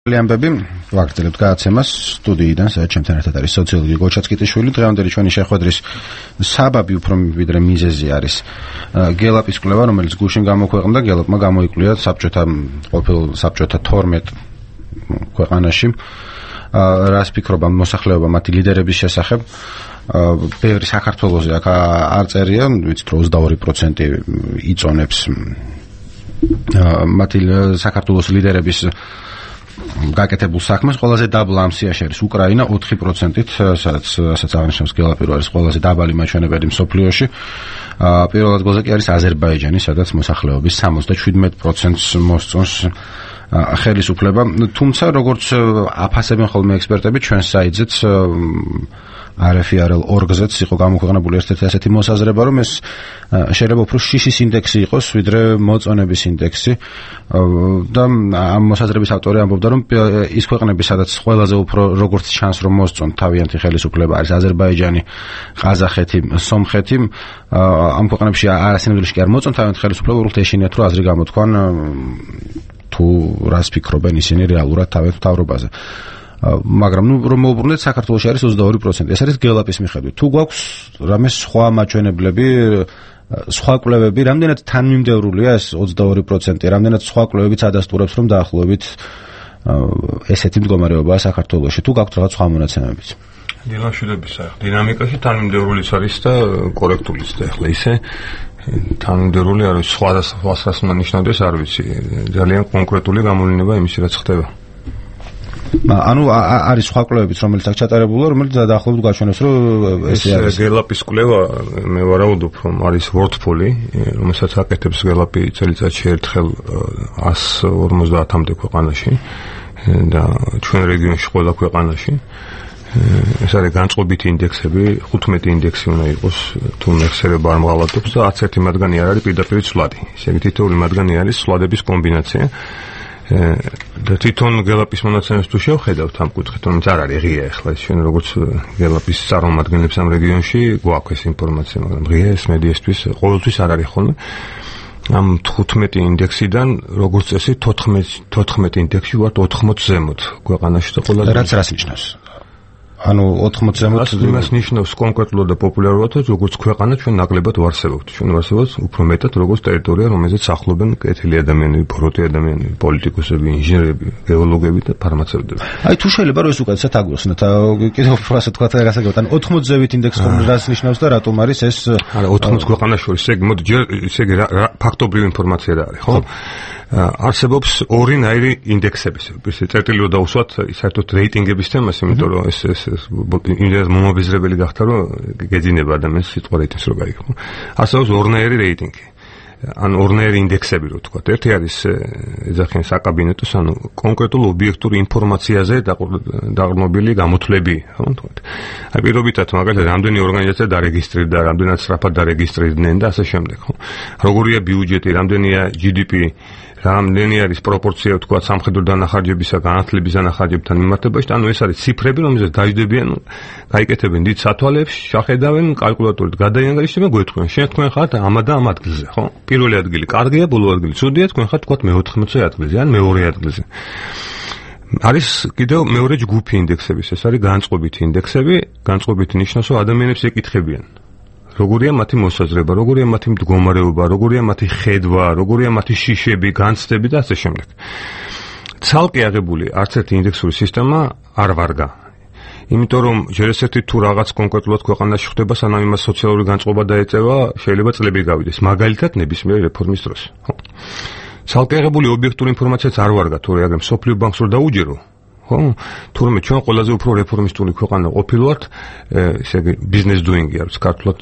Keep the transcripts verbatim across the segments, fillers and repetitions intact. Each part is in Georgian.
Liambebim, ვაგრძელებთ გადაცემას სტუდიიდან, სადაც ჩემთან ერთად არის სოციოლოგი გოჩაცკიტიშვილი. დღევანდელი ჩვენი შეხვედრის საბაბი უფრო ვიდრე მიზეზი არის გელაპის კვლევა, რომელიც გუშინ გამოქვეყნდა. გელაპმა გამოიკვლია საბჭოთა ყოფილ საბჭოთა თორმეტ ქვეყანაში რას ფიქრობენ მოსახლეობა მათი ლიდერების შესახებ. ბევრი საქართველოზე აქ არ წერია, ვიცით რომ ოცდაორი პროცენტი იწონებს მათი საქართველოს ლიდერების გაკეთებულ საქმეს. ყველაზე დაბლა ამ სიაში არის უკრაინა ოთხი პროცენტით, სადაც რასაც აღნიშნავს გელაპი, არის ყველაზე დაბალი მაჩვენებელი მსოფლიოში. პირველ ადგილზე კი არის აზერბაიჯანი, სადაც მოსახლეობის სამოცდაშვიდმეტ პროცენტს მოსწონს ხელისუფლება. თუმცა როგორც აფასებენ ხოლმე ექსპერტები, ჩვენ საიტზეც არ ეფ არ ელ ორგზეც იყო გამოქვეყნებული ერთ-ერთი ასეთი მოსაზრება, რომ ეს შეიძლება უფრო შიშის ინდექსი იყოს, ვიდრე მოწონების ინდექსი. და ამ მოსაზრების ავტორი ამბობდა, რომ ის ქვეყნები, სადაც ყველაზე უფრო როგორც ჩანს, რომ მოსწონ თავიანთი ხელისუფლება არის აზერბაიჯანი, ყაზახეთი, სომხეთი. ამ ქვეყნებში არასინამდვილეში კი არ მოწონ თავიანთი ხელისუფლება, უბრალოდ ეშინიათ, რომ აზრი გამოთქვან თუ რას ფიქრობენ ისინი რეალურად თავიანთ მთავრობაზე. მაგრამ ნუ რომ მოვუბრუნდეთ, საქართველოში არის ოცდაორი პროცენტი. ეს არის გელაპის მიხედვით. თუ გვაქვს რამე სხვა მაჩვენებლები, სხვა კვლევები, რამდენად თანმიმდევრულია ეს ოცდაორი პროცენტი, რამდენად სხვა კვლევებიც ადასტურებს, რომ დაახლოებით ესეთი მდგომარეობაა საქართველოში. თუ გაქვთ რაღაც სხვა მონაცემებიც. დილამშვიდობის დინამიკაში თანმიმდევრულიც არის და კორექტულიც და ახლა ისე თანმიმდევრული არის სხვა და სხვას უნდა ნიშნავდეს, არ ვიცი. ძალიან კონკრეტული გამოვლენა იმის რაც ხდება. ანუ არის სხვა კვლევებიც, რომელიც აქ ჩატარებულა, რომელიც დაახლოებით გაჩვენებს, რომ ესე არის. გელაპის კვლევა, მე ვარაუდობ, რომ არის WordPol-ი, რომელსაც აკეთებს გელაპი წელიწადში ერთხელ εκατს ორმოცდაათამდე ქვეყანაში და ჩვენ რეგიონში ყველა ქვეყანაში. ეს არის განწყობითი ინდექსები, ხუთმეტი ინდექსი უნდა იყოს, თუ მეხსიერება არ მღალატობს და არც ერთი მათგანი არ არის პირდაპირ ცვლადი. ესე იგი თითოეული მათგანი არის ცვლადების კომბინაცია. და თვითონ გელაპის მონაცემებს თუ შევხედავთ ამ კუთხით, რომელიც არ არის ღია ახლა, ჩვენ როგორც გელაპის წარმომადგენლებს ამ რეგიონში გვაქვს ეს ინფორმაცია, მაგრამ ღია ეს მედიასთვის ყოველთვის არ არის ხოლმე. ამ თხუთმეტი ინდექსიდან როგორც წესი თოთხმეტ ინდექსში ვართ ოთხმოც ზემოთ ქვეყანაში და ყველაზე რაც რას ნიშნავს? ანუ ოთხმოც ზემოთ იმას ნიშნავს კონკრეტულად და პოპულარულად, როგორც ქვეყანა ჩვენ ნაკლებად ვარსებობთ. ჩვენ ვარსებობთ უფრო მეტად როგორც ტერიტორია, რომელზეც სახლობენ კეთილი ადამიანები, ბოროტი ადამიანები, პოლიტიკოსები, ინჟინერები, გეოლოგები და ფარმაცევტები. აი თუ შეიძლება რომ ეს უკეთესად აგვიხსნათ, კიდევ უფრო ასე თქვა და გასაგებად, ან ოთხმოც ზევით ინდექსი რას ნიშნავს და რატომ არის ეს? არა, ოთხმოც ქვეყანას შორის, ესე იგი, მოდი, ესე იგი, ფაქტობრივი ინფორმაცია რა არის, ხო? არსებობს ორინაირი ინდექსები. წერტილი რომ დავუსვათ საერთოდ რეიტინგების თემას, იმიტომ რომ ეს ეს იმდენად მომაბეზრებელი გახდა, რომ გეძინება ადამიანს სიტყვა რეიტინგს რო გაიგო. არსებობს ორნაირი რეიტინგი. ან ორნაირი ინდექსები რო თქვა. ერთი არის ეძახიან საკაბინეტოს, ანუ კონკრეტულ ობიექტური ინფორმაციაზე დაყრდნობილი გამოთვლები, ხო თქვათ. აი პირობითად მაგალითად რამდენი ორგანიზაცია დარეგისტრირდა, რამდენად სწრაფად დარეგისტრირდნენ და ასე შემდეგ, ხო. როგორია ბიუჯეტი, რამდენია ჯი დი პი, რამდენი არის პროპორცია თქვა სამხედრო დანახარჯებისა, განათლების დანახარჯებთან მიმართებაში, ანუ ეს არის ციფრები, რომელზეც დაждდებიან, გაიკეთებენ დიდ სათვალეებს, შახედავენ, კალკულატორით გადაიანგარიშებენ და გვეთქვენ, შენ თქვენ ხართ ამა და ამ ადგილზე, ხო? პირველი ადგილი კარგია, ბოლო ადგილი ცუდია, თქვენ ხართ თქვა მეოთხმოცე ადგილზე, ან მეორე ადგილზე. არის კიდევ მეორე ჯგუფი ინდექსების, ეს არის განწყობითი ინდექსები, განწყობითი ნიშნავს, რომ ადამიანებს ეკითხებიან. როგორია მათი მოსაზრება, როგორია მათი მდგომარეობა, როგორია მათი ხედვა, როგორია მათი შიშები, განცდები და ასე შემდეგ. ცალკე აღებული არც ერთი ინდექსური სისტემა არ ვარგა. იმიტომ რომ ჯერ ესეთი თუ რაღაც კონკრეტულად ქვეყანაში ხდება, სანამ იმას სოციალური განწყობა დაეწევა, შეიძლება წლები გავიდეს. მაგალითად ნებისმიერი რეფორმის დროს. ხო. ცალკე აღებული ობიექტური ინფორმაციაც არ ვარგა, თუ რეაგრამ სოფლიო ბანკს რო დაუჯერო. ხო, თურმე ჩვენ ყველაზე უფრო რეფორმისტული ქვეყანა ყოფილვართ, ესე იგი ბიზნეს დუინგი არის ქართულად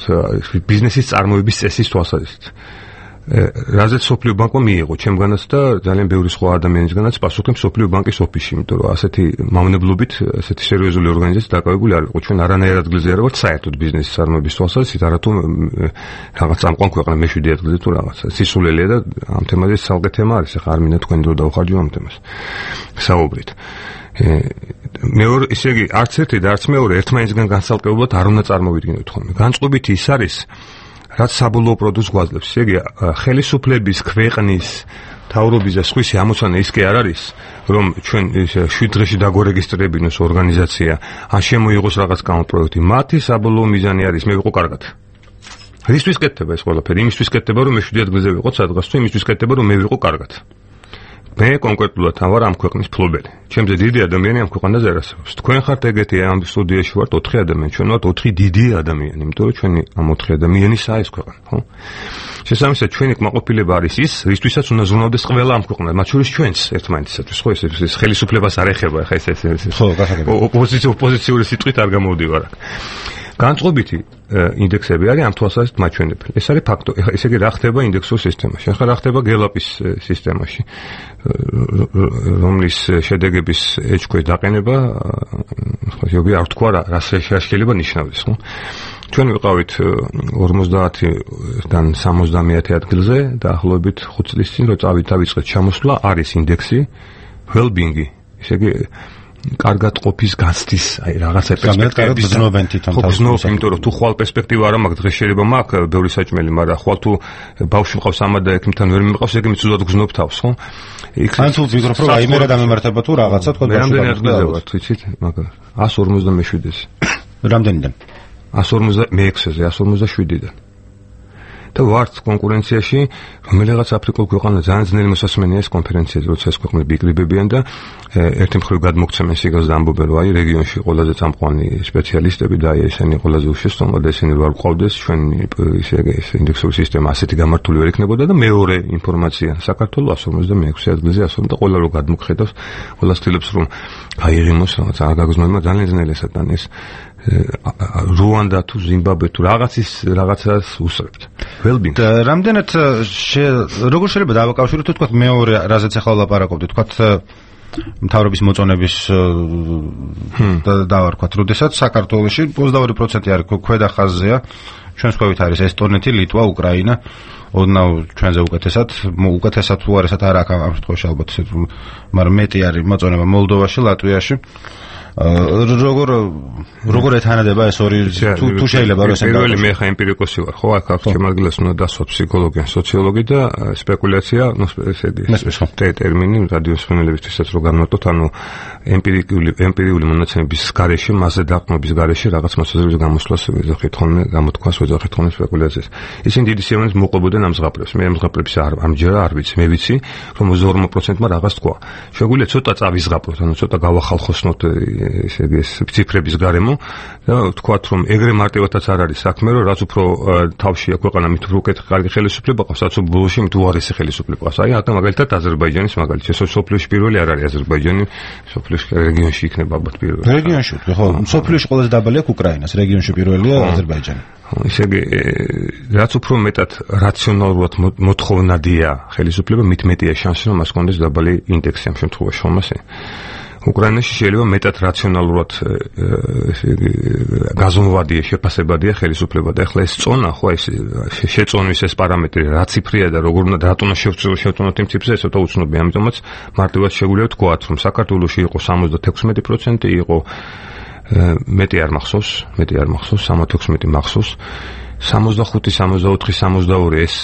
ბიზნესის წარმოების წესის თვალსაზრისით. რაზეც სოფლიო ბანკმა მიიღო ჩემგანაც და ძალიან ბევრი სხვა ადამიანისგანაც პასუხი სოფლიო ბანკის ოფისში, იმიტომ რომ ასეთი მავნებლობით, ასეთი სერიოზული ორგანიზაცია დაკავებული არ იყო. ჩვენ არანაირ ადგილზე არ ვართ საერთოდ ბიზნესის წარმოების თვალსაზრისით, არათუ რაღაც წამყვან ქვეყანა მეშვიდე ადგილზე თუ რაღაც. სისულელია და ამ თემაზე ცალკე თემა არის, ახლა არ მინდა თქვენ დრო დავხარჯო ამ თემას. საუბრით. მეორე, ისე იგი, არც ერთი და არც მეორე ერთმანეთისგან განსალკევებლად არ უნდა წარმოვიდგინოთ ხოლმე. განწყობითი ის არის, რაც საბოლოო პროდუქტს გვაძლევს. ესე იგი, ხელისუფლების, ქვეყნის თავრობის და სხვისი ამოცანა ის კი არ არის, რომ ჩვენ შვიდ დღეში დაგორეგისტრებინოს ორგანიზაცია, ან შემოიღოს რაღაც კანონპროექტი. მათი საბოლოო მიზანი არის მე ვიყო კარგად. რისთვის კეთდება ეს ყველაფერი? იმისთვის კეთდება, რომ მე შვიდი ადგილზე ვიყო სადღაც თუ იმისთვის კეთდება, რომ მე ვიყო კარგად. მე კონკრეტულად ვარ ამ ქვეყნის ფლობელი. ჩემზე დიდი ადამიანი ამ ქვეყანაზე არ არსებობს. თქვენ ხართ ეგეთი ამ სტუდიაში ვართ ოთხი ადამიანი, ჩვენ ვართ ოთხი დიდი ადამიანი, იმიტომ რომ ჩვენი ამ ოთხი ადამიანისაა ეს ქვეყანა, ხო? შესაბამისად ჩვენი კმაყოფილება არის ის, რისთვისაც უნდა ზრუნავდეს ყველა ამ ქვეყანას, მათ შორის ჩვენც ერთმანეთისათვის, ხო, ეს ხელისუფლებას არ ეხება, ხა ეს ეს ხო, გასაგებია. ოპოზიცია ოპოზიციური სიტყვით არ გამოვდივარ აქ. განწყობითი ინდექსები არის ამ თვალსაზრისით მაჩვენებელი. ეს არის ფაქტო. ესე იგი რა ხდება ინდექსურ სისტემაში? ახლა რა ხდება გელაპის სისტემაში, რომლის შედეგების ეჭქვეშ დაყენება, ხო, ზოგი არ თქვა რა შეიძლება ნიშნავდეს, ხო? ჩვენ ვიყავით ორმოცდაათიდან სამოცდამეათე ადგილზე და ახლობით ხუთ წლის წინ რო წავიწყეთ ჩამოსვლა, არის ინდექსი well-being-ი. ესე იგი კარგად ყოფის გაცდის, აი რაღაცა პერსპექტივები ზნობენ თვითონ თავს. ხო, იმიტომ რომ თუ ხვალ პერსპექტივა არ მაქვს, დღეს შეიძლება მაქვს ბევრი საჭმელი, მაგრამ ხვალ თუ ბავშვი მყავს ამა და ექიმთან ვერ მიმყავს, ეგ მიწუდად გზნობ თავს, ხო? ან თუ ვფიქრობ, რომ აი მე რა დამემართება თუ რაღაცა თქო ბავშვი. რამდენი ადგილზე ვარ, ვიცით, მაგრამ εκατს ორმოცდამეშვიდეზე. რამდენიდან? εκατს ორმოცდამეექვსეზე, εκατს ორმოცდაშვიდიდან. და ვართ კონკურენციაში, რომელიღაც აფრიკულ ქვეყანა ძალიან ძნელი მოსასმენია ეს კონფერენციაზე, როცა ეს ქვეყნები იკრიბებიან და ერთი მხრივ გადმოგცემენ სიგელს და ამბობენ, რომ აი რეგიონში ყველაზე წამყვანი სპეციალისტები და აი ესენი ყველაზე უშეშტომო და ესენი ვარ ყავდეს, ჩვენ ისე ეს ინდექსური სისტემა ასეთი გამართული ვერ იქნებოდა და მეორე ინფორმაცია საქართველოს εκατს ორმოცდამეექვსე ადგილზე ასო და ყველა რო გადმოგხედავს, ყველა ცდილობს რომ გაიღიმოს რაღაც არ გაგზნოება ძალიან ძნელი ესთან ეს რუანდა თუ ზიმბაბვე თუ რაღაცის რაღაცას უსწრებთ. well-being. რამდენად როგორ შეიძლება დავაკავშიროთ თქვა მეორე რაზეც ახლა ვლაპარაკობდით, თქვა მთავრობის მოწონების დავარქვათ, როდესაც საქართველოში ოცდაორი პროცენტი არის ქვედა ხაზზეა, ჩვენს ქვევით არის ესტონეთი, ლიტვა, უკრაინა, ოდნავ ჩვენზე უკეთესად, უკეთესად თუ არ ესად არ აქვს ამ შემთხვევაში ალბათ, მაგრამ მეტი არის მოწონება მოლდოვაში, ლატვიაში. როგორ როგორ ეთანადება ეს ორი თუ შეიძლება რომ ესე პირველი მე ხა ემპირიკოსი ვარ, ხო, აქ აქ ჩემ ადგილას უნდა დასვა ფსიქოლოგია, სოციოლოგი და სპეკულაცია, ნუ ესე იგი ტერმინი რადიოსმენელებისთვისაც რო განვარტოთ, ანუ ემპირიკული ემპირიული მონაცემების გარეშე, მასზე დაყრდნობის გარეშე რაღაც მოსაზრების გამოსვლას ვეძახით ხოლმე, გამოთქვას ვეძახით ხოლმე სპეკულაციას. ისინი დიდი სიამოვნებით მოყვებოდნენ ამ ზღაპრებს. მე ამ ზღაპრებს არ ამჯერა არ ვიცი, მე ვიცი, რომ ოცდაორ პროცენტმა რაღაც თქვა. შეგვიძლია ცოტა წავიზღაპროთ, ანუ ცოტა გავახალხოსნოთ ესე იგი ეს ციფრების გარემო და ვთქვათ რომ ეგრე მარტივადაც არ არის საქმე, რომ რაც უფრო თავშია ქვეყანა მით უფრო უკეთ კარგი ხელისუფლება ყავს, რაც ბოლოში მით უარესი ხელისუფლება ყავს. აი აქ მაგალითად აზერბაიჯანის მაგალითი, სოფლიოში პირველი არ არის აზერბაიჯანი, სოფლიოში რეგიონში იქნება ალბათ პირველი. რეგიონში, ხო, სოფლიოში ყველაზე დაბალი აქვს უკრაინას, რეგიონში პირველია აზერბაიჯანი. ისე იგი რაც უფრო მეტად რაციონალურად მოთხოვნადია ხელისუფლება, მით მეტია შანსი რომ მას კონდეს დაბალი ინდექსი ამ შემთხვევაში, ხომ ასე? უკრაინაში შეიძლება მეტად რაციონალურად ესე იგი გაზომვადია, შეფასებადია ხელისუფლება და ახლა ეს წონა, ხო, ეს შეწონვის ეს პარამეტრი რა ციფრია და როგორ უნდა რატომ შევწონოთ იმ ციფრზე, ეს ცოტა უცნობია, ამიტომაც მარტივად შეგვიძლია ვთქვათ, რომ საქართველოში იყო სამოცდათექვსმეტი პროცენტი, იყო მეტი არ მახსოვს, მეტი არ მახსოვს, სამოცდაექვსმეტი მახსოვს. სამოცდახუთი, სამოცდაოთხი, სამოცდაორი ეს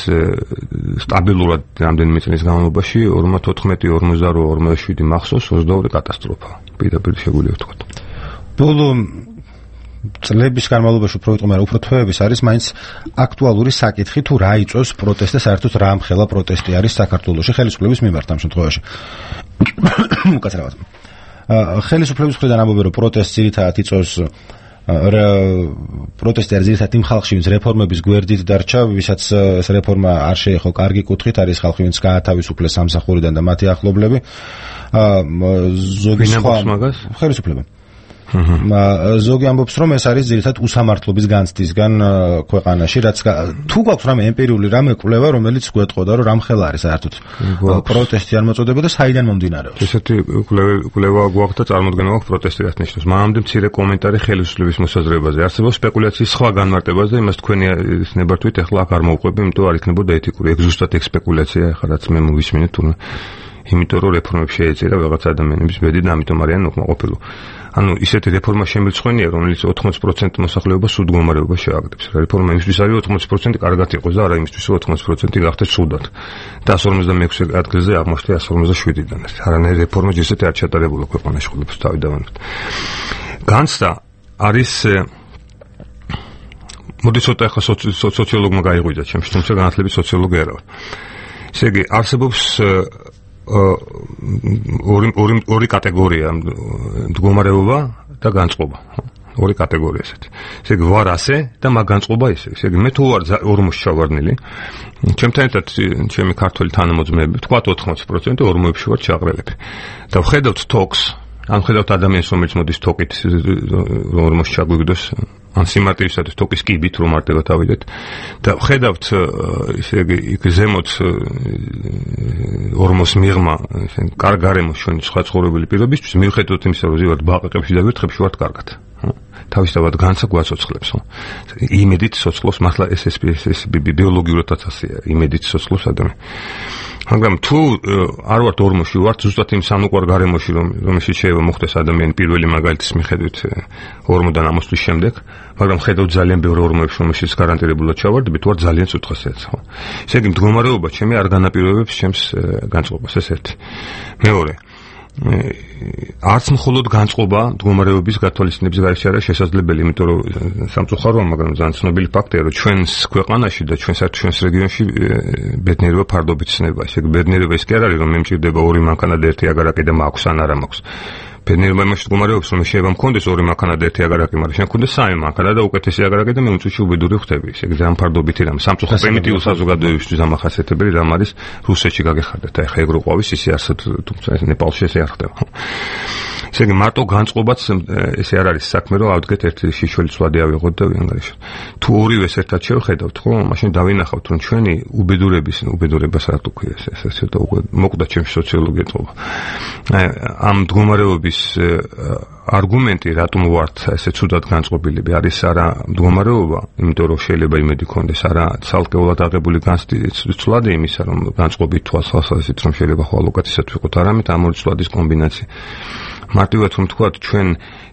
სტაბილურად რამდენიმე წლის განმავლობაში ორმოცდათოთხმეტი, ორმოცდაორი, ორმოცდაშვიდი მახსოვს, ოცდაორი კატასტროფა. პირდაპირ შეგვიძლია ვთქვათ. ბოლო წლების განმავლობაში უფრო ვიტყვი, მაგრამ უფრო თვეების არის მაინც აქტუალური საკითხი, თუ რა იწვევს პროტესტს და საერთოდ რა ამხელა პროტესტი არის საქართველოში ხელისუფლების მიმართ ამ შემთხვევაში. უკაცრავად. ხელისუფლების მხრიდან ამბობენ, რომ პროტესტს ძირითადად იწვევს პროტესტი არის ძირითადად იმ ხალხში, ვინც რეფორმების გვერდით დარჩა, ვისაც ეს რეფორმა არ შეეხო კარგი კუთხით, არის ხალხი, ვინც გაათავისუფლეს სამსახურიდან და მათი ახლობლები. ზოგი სხვა ხელისუფლება. ზოგი ამბობს, რომ ეს არის ძირითადად უსამართლობის განცდისგან ქვეყანაში, რაც თუ გვაქვს რამე ემპირიული რამე კვლევა, რომელიც გვეტყოდა, რომ რამხელა არის საერთოდ პროტესტი არ მოწოდება და საიდან მომდინარეობს. ესეთი კვლევა გვაქვს და წარმოდგენა გვაქვს პროტესტი რაც ნიშნავს. მანამდე მცირე კომენტარი ხელისუფლების მოსაზრებაზე. არსებობს სპეკულაციის სხვა განმარტებაზე, იმას თქვენი ნებართვით ახლა აქ არ მოვყვები, იმიტომ არ იქნებოდა ეთიკური. ეგ ზუსტად ეგ სპეკულაცია, ახლა რაც მე მოვისმინეთ, თუმცა იმიტომ რომ რეფორმები შეეწირა რაღაც ადამიანების ბედი და ამიტომ არიან უკმაყოფილო. ანუ ისეთი რეფორმა შემიძლხვენია, რომელიც ოთხმოცი პროცენტი მოსახლეობას სულ მდგომარეობას შეაგდებს. რეფორმა იმისთვის არის ოთხმოცი პროცენტი კარგად იყოს და არა იმისთვის რომ ოთხმოცი პროცენტი გახდეს სუდად. და εκατს ორმოცდამექვსე ადგილზე აღმოჩნდა εκατს ორმოცდაშვიდიდან. არანაირი რეფორმა ჯერჯერობით არ ჩატარებულა ქვეყანაში ხოლმე თავი დავანოთ. განცდა არის მოდი ცოტა ახლა სოციოლოგმა გაიღვიძა ჩემს, თუმცა განათლების სოციოლოგი არა ვარ. ესე იგი, არსებობს ორი ორი ორი კატეგორია მდგომარეობა და განწყობა. ორი კატეგორია ესეთი. ესე იგი, ვარ ასე და მაგ განწყობა ისე. ესე იგი, მე თუ ვარ ორმოში ჩავარდნილი, ჩემთან ერთად ჩემი ქართველი თანამოძმეები, თქვათ ოთხმოცი პროცენტი ორმოებში ვარ ჩაყრელები. და ვხედავთ თოქს, ან ვხედავთ ადამიანს, რომელიც მოდის თოკით ორმოში ჩაგვიგდოს, ან სიმარტივისათვის თოკის კიბით რომ მარტივად ავიდეთ და ვხედავთ ისე იგი იქ ზემოთ ორმოს მიღმა ისე კარგ გარემოს ჩვენი სხვა ცხოვრებილი პირობისთვის მიუხედავად იმისა რომ ზივართ ბაყაყებში და ვირთხებში ვართ კარგად თავისთავად განცა გვაცოცხლებს იმედით ცოცხლობს მართლა ეს ეს ეს ბიოლოგიურადაც ასეა იმედით ცოცხლობს ადამიანი მაგრამ თუ არ ვართ ორმოში ვართ ზუსტად იმ სამუკვარ გარემოში რომ რომელშიც შეიძლება მოხდეს ადამიანი პირველი მაგალითის მიხედვით ორმოდან ამოსვლის შემდეგ მაგრამ ხედავთ ძალიან ბევრ ორმოებში რომელშიც გარანტირებულად ჩავარდებით ვარ ძალიან ცუთხასიათს ხო ესე იგი მდგომარეობა ჩემი არ განაპირობებს ჩემს განწყობას ეს ერთი მეორე არც მხოლოდ განწყობა მდგომარეობის გათვალისწინების გარეშე არის შესაძლებელი, იმიტომ რომ სამწუხაროა, მაგრამ ძალიან ცნობილი ფაქტია, რომ ჩვენს ქვეყანაში და ჩვენს ჩვენს რეგიონში ბედნიერება ფარდობით ცნება. ესე იგი, ბედნიერება ის კი არ არის, რომ მე მჭირდება ორი მანქანა და ერთი აგარაკი და მაქვს ან არა მაქვს. ბედნიერება იმაში მდგომარეობს, რომ შეიძლება მქონდეს ორი მანქანა და ერთი აგარაკი, მაგრამ შენ მქონდეს სამი მანქანა და უკეთესი აგარაკი და მე უწუჩი უბედური ხდები. ესე იგი, ძალიან ფარდობითი რამ. სამწუხარო პრიმიტიულ საზოგადოებისთვის დამახასიათებელი რამ არის რუსეთში გაგეხარდეთ. აი ხა ეგ რო ყვავის ისე არსად, თუმცა ნეპალში ესე არ ხდება. ესე იგი, მარტო განწყობაც ესე არ არის საქმე, რომ ავდგეთ ერთი შიშველი ცვლადი ავიღოთ და ვიანგარიშოთ. თუ ორივეს ერთად შევხედავთ, ხო, მაშინ დავინახავთ, რომ ჩვენი უბედურების, უბედურებას რა თუ ქვია, ეს ესე და მოკვდა ჩემს სოციოლოგია თქობა. ამ მდგომარეობის არგუმენტი რატომ ვართ ესე ცუდად განწყობილები არის არა მდგომარეობა, იმიტომ რომ შეიძლება იმედი გქონდეს, არა ცალკეულად აღებული განცვლადი იმისა, რომ განწყობით თვალსაზრისით რომ შეიძლება ხო ალოკაციად ვიყოთ, არამედ ამ ორი ცვლადის კომბინაცია. მარტივად რომ თქვა ჩვენ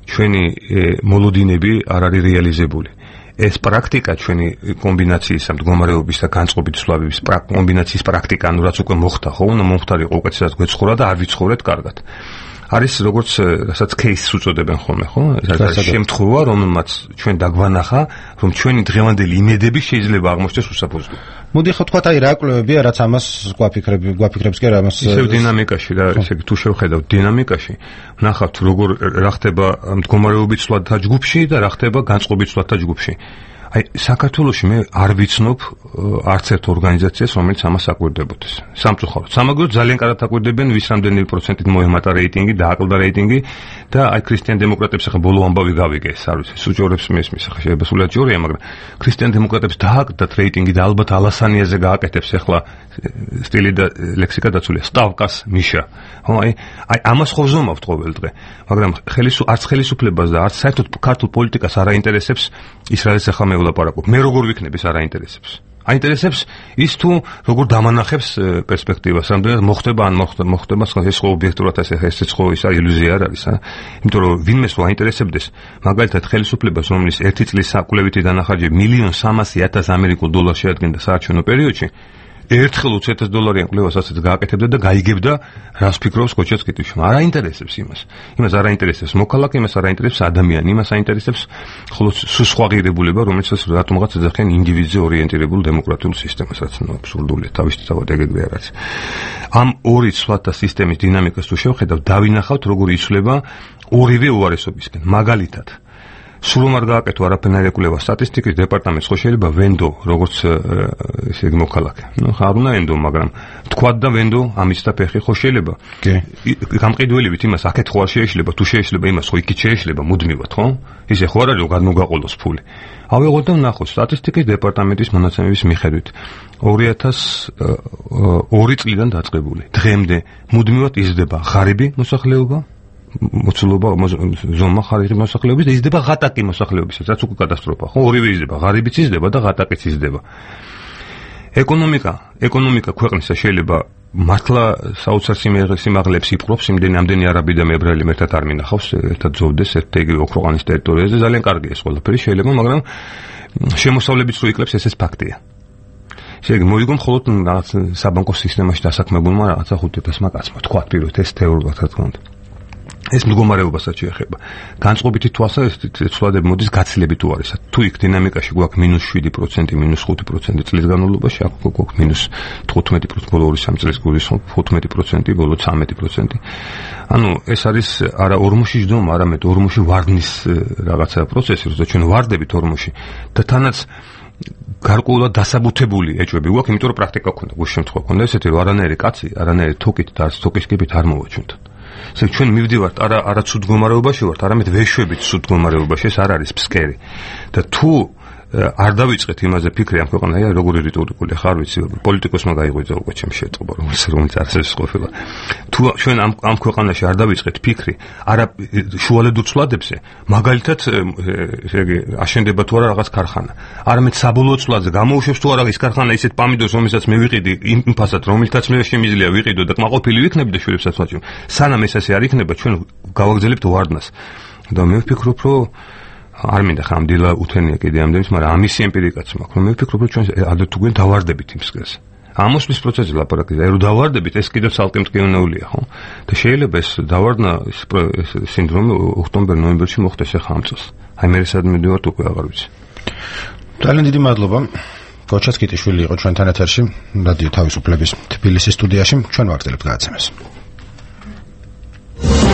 ჩვენი მოლოდინები არ არის რეალიზებული. ეს პრაქტიკა ჩვენი კომბინაციის მდგომარეობის და განწყობით ცვლადების კომბინაციის პრაქტიკა, ანუ რაც უკვე მოხდა, ხო, უნდა მომხდარიყო უკეთესად გვეცხოვრა და არ ვიცხოვრეთ კარგად. არის როგორც რასაც кейსს უწოდებენ ხოლმე, ხო? ეს შემთხვევა, რომელმაც ჩვენ დაგვანახა, რომ ჩვენი დღევანდელი იმედები შეიძლება აღმოჩნდეს უსაფუძვლო. მოდი ხო თქვა, აი რა კვლევებია, რაც ამას გვაფიქრები, გვაფიქრებს კი რა ამას ისევ დინამიკაში რა, ესე იგი თუ შევხედავთ დინამიკაში, ვნახავთ როგორ რა ხდება მდგომარეობის ცვლადთა ჯგუფში და რა ხდება განწყობის ცვლადთა ჯგუფში. აი საქართველოში მე არ ვიცნობ არც ერთ ორგანიზაციას, რომელიც ამას აკვირდებოდეს. სამწუხაროდ. სამაგრო ძალიან კარგად აკვირდებენ, ვის რამდენი პროცენტით მოემატა რეიტინგი, დააკლდა რეიტინგი და აი ქრისტიან დემოკრატებს ახლა ბოლო ამბავი გავიგე, ეს არ ვიცი, სუჯორებს მესმის, ახლა შეიძლება სულად ჯორია, მაგრამ ქრისტიან დემოკრატებს დააკლდათ რეიტინგი და ალბათ ალასანიაზე გააკეთებს ახლა სტილი და ლექსიკა დაცულია, სტავკას მიშა. ხო, აი აი ამას ხო ვზომავთ ყოველ დღე, მაგრამ ხელისუ არც ხელისუფლებას და არც საერთოდ ქართულ პოლიტიკას არ აინტერესებს ის რაც ახლა მე ვლაპარაკობ. მე როგორ ვიქნებ ის არ აინტერესებს. აინტერესებს ის თუ როგორ დამანახებს პერსპექტივას, რამდენად მოხდება ან მოხდება ეს ხო ობიექტურად ეს ეს ხო ის ილუზია არ არის, ა? იმიტომ რომ ვინმეს რო აინტერესებდეს, მაგალითად ხელისუფლებას, რომლის ერთი წლის საკვლევითი დანახარჯი მილიონ სამასი ათას ამერიკულ დოლარს შეადგენდა საარჩევნო პერიოდში, ერთხელ ოცი ათას დოლარიან კვლევას ასეც გააკეთებდა და გაიგებდა რას ფიქრობს კოჩაც კითხვაში. არ აინტერესებს იმას. იმას არ აინტერესებს მოქალაქე, იმას არ აინტერესებს ადამიანი, იმას აინტერესებს ხოლო სხვა ღირებულება, რომელიც რატომღაც ეძახიან ინდივიდზე ორიენტირებულ დემოკრატიულ სისტემას, რაც ნუ აბსურდულია, თავისთავად ეგრე არ არის. ამ ორი ცვლადთა სისტემის დინამიკას თუ შევხედავთ, დავინახავთ როგორ იცვლება ორივე უარესობისკენ. მაგალითად სულ არ გააკეთო არაფერნაირი კვლევა სტატისტიკის დეპარტამენტს ხო შეიძლება ვენდო როგორც ესე იგი მოქალაქე. ნუ ხარ უნდა ვენდო, მაგრამ თქვათ და ვენდო ამის და ფეხი ხო შეიძლება. კი. გამყიდველივით იმას აქეთ ხო არ შეიძლება, თუ შეიძლება იმას ხო იქით შეიძლება მუდმივად, ხო? ისე ხო არ არის რომ გადმოგაყოლოს ფული. ავიღოთ და ვნახოთ სტატისტიკის დეპარტამენტის მონაცემების მიხედვით ორი ათას ორი წლიდან დაწყებული. დღემდე მუდმივად იზრდება ღარიბი მოსახლეობა, მოცულობა ზომა ხარიღი მოსახლეობის და იზრდება ღატაკი მოსახლეობისაც, რაც უკვე კატასტროფა, ხო? ორივე იზრდება, ღარიბიც იზრდება და ღატაკიც იზრდება. ეკონომიკა, ეკონომიკა ქვეყნისა შეიძლება მართლა საოცარ სიმაღლეებს იპყრობს, იმდენი ამდენი არაბი და მებრალი ერთად არ მინახავს, ერთად ზოვდეს ერთ იგივე ოქროყანის ტერიტორიაზე, ძალიან კარგია ეს ყველაფერი შეიძლება, მაგრამ შემოსავლებიც რო იკლებს, ეს ეს ფაქტია. შეიძლება მოიგო მხოლოდ რაღაც საბანკო სისტემაში დასაქმებულმა რაღაცა ხუთი ათასმა კაცმა, თქვათ პირველად ეს თეორიულად რა თქმა უნდა. ეს მდგომარეობასაც შეეხება. განწყობითი თვალსაზრისით ცვლადები მოდის გაცილებით უარესად. თუ იქ დინამიკაში გვაქვს მინუს შვიდი პროცენტი, მინუს ხუთი პროცენტი წლის განმავლობაში, აქ გვაქვს მინუს თხუთმეტი პროცენტი, ბოლო ორი სამი წლის გულისხმობ თხუთმეტი პროცენტი, ბოლო ცამეტი პროცენტი. ანუ ეს არის არა ორმოში ჯდომა, არამედ ორმოში ვარდნის რაღაცა პროცესი, როცა ჩვენ ვარდებით ორმოში და თანაც გარკვეულად დასაბუთებული ეჭვები გვაქვს, იმიტომ რომ პრაქტიკა გქონდა, გუშინ შემთხვევა გქონდა ესეთი, რომ არანაირი კაცი, არანაირი თოკით და არც თოკის კიბით არ მოვაჩვენთ. ესე ჩვენ მივდივართ არა არა ცუდ მდგომარეობაში ვართ, არამედ ვეშვებით ცუდ მდგომარეობაში, ეს არ არის ფსკერი. და თუ არ დავიწყეთ იმაზე ფიქრი ამ ქვეყანაში, როგორი რიტორიკული ხარ ვიცი, პოლიტიკოსმა გაიღვიძა უკვე ჩემს შეწყობა, რომელიც რომელიც არსებობს ყოფილა. თუ ჩვენ ამ ამ ქვეყანაში არ დავიწყეთ ფიქრი, არა შუალედურ ცვლადებზე, მაგალითად, ესე იგი, აშენდება თუ არა რაღაც ქარხანა, არამედ საბოლოო ცვლადზე გამოუშვებს თუ არა ის ქარხანა ისეთ პამიდორს, რომელსაც მე ვიყიდი იმ ფასად, რომელთაც მე შემიძლია ვიყიდო და კმაყოფილი ვიქნები და შვილებსაც ვაჭრობ. სანამ ეს ასე არ იქნება, ჩვენ გავაგრძელებთ ვარდნას. და მე ვფიქრობ, რომ არ მინდა ხამდილა უთენია კიდე ამდენს, მაგრამ ამისი ემპირიკაც მაქვს, რომ მე ვფიქრობ, რომ ჩვენ ადრე თუ გვენ დავარდებით იმ სქესს. ამოსვლის პროცესზე ლაპარაკია, რომ დავარდებით, ეს კიდევ ცალკე მტკივნეულია, ხო? და შეიძლება ეს დავარდნა ეს სინდრომი ოქტომბერ-ნოემბერში მოხდეს ახლა ამ წელს. აი მე სადმე მივდივართ უკვე აღარ ვიცი. ძალიან დიდი მადლობა. გოჩა სკიტიშვილი იყო ჩვენთან ეთერში, რადიო თავისუფლების თბილისის სტუდიაში. ჩვენ ვაგრძელებთ გადაცემას.